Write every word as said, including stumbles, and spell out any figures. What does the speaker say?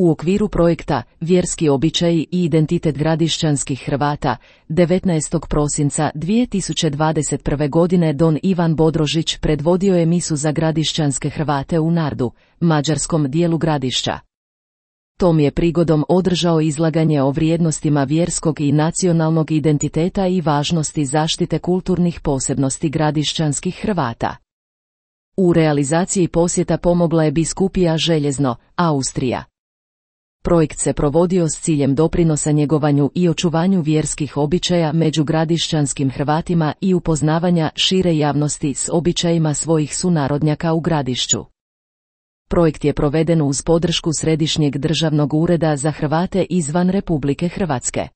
U okviru projekta Vjerski običaji i identitet gradišćanskih Hrvata, devetnaestog prosinca dvije tisuće dvadeset prve. godine don Ivan Bodrožić predvodio je misu za gradišćanske Hrvate u Nardu, mađarskom dijelu Gradišća. Tom je prigodom održao izlaganje o vrijednostima vjerskog i nacionalnog identiteta i važnosti zaštite kulturnih posebnosti gradišćanskih Hrvata. U realizaciji posjeta pomogla je biskupija Željezno, Austrija. Projekt se provodio s ciljem doprinosa njegovanju i očuvanju vjerskih običaja među gradišćanskim Hrvatima i upoznavanja šire javnosti s običajima svojih sunarodnjaka u Gradišću. Projekt je proveden uz podršku Središnjeg državnog ureda za Hrvate izvan Republike Hrvatske.